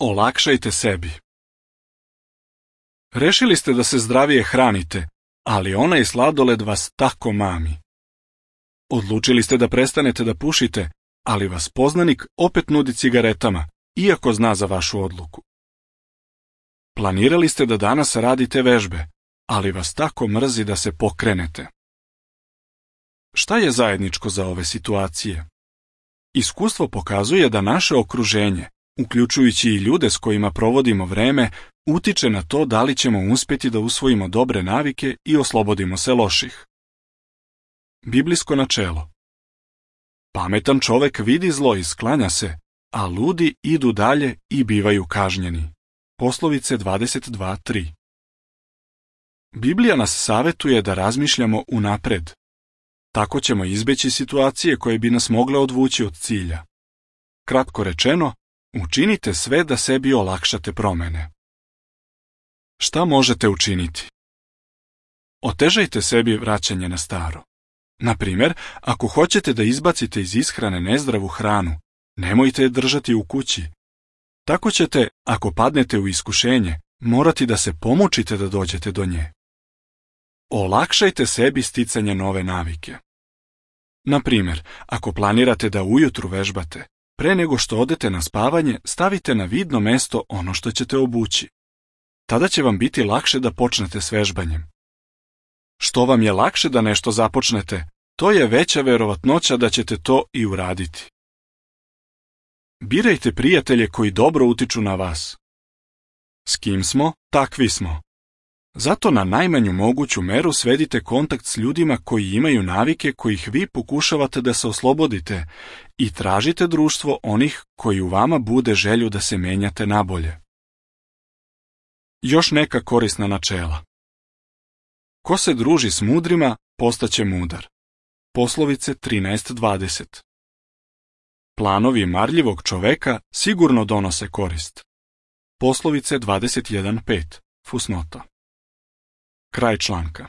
Olakšajte sebi. Rešili ste da se zdravije hranite, ali onaj sladoled vas tako mami. Odlučili ste da prestanete da pušite, ali vas poznanik opet nudi cigaretama, iako zna za vašu odluku. Planirali ste da danas radite vežbe, ali vas tako mrzi da se pokrenete. Šta je zajedničko za ove situacije? Iskustvo pokazuje da naše okruženje, uključujući i ljude s kojima provodimo vreme, utiče na to da li ćemo uspjeti da usvojimo dobre navike i oslobodimo se loših. Biblijsko načelo. Pametan čovek vidi zlo i sklanja se, a ludi idu dalje i bivaju kažnjeni. Poslovice 22:3. Biblija nas savetuje da razmišljamo unapred. Tako ćemo izbeći situacije koje bi nas mogle odvući od cilja. Kratko rečeno, učinite sve da sebi olakšate promene. Šta možete učiniti? Otežajte sebi vraćanje na staro. Na primjer, ako hoćete da izbacite iz ishrane nezdravu hranu, nemojte je držati u kući. Tako ćete, ako padnete u iskušenje, morati da se pomučite da dođete do nje. Olakšajte sebi sticanje nove navike. Na primjer, ako planirate da ujutru vežbate, pre nego što odete na spavanje, stavite na vidno mesto ono što ćete obući. Tada će vam biti lakše da počnete s vežbanjem. Što vam je lakše da nešto započnete, to je veća verovatnoća da ćete to i uraditi. Birajte prijatelje koji dobro utiču na vas. S kim smo, takvi smo. Zato na najmanju moguću meru svedite kontakt s ljudima koji imaju navike kojih vi pokušavate da se oslobodite i tražite društvo onih koji u vama bude želju da se menjate nabolje. Još neka korisna načela. Ko se druži s mudrima, postaće mudar. Poslovice 13:20. Planovi marljivog čoveka sigurno donose korist. Poslovice 21:5. Fusnota. Kraj članka.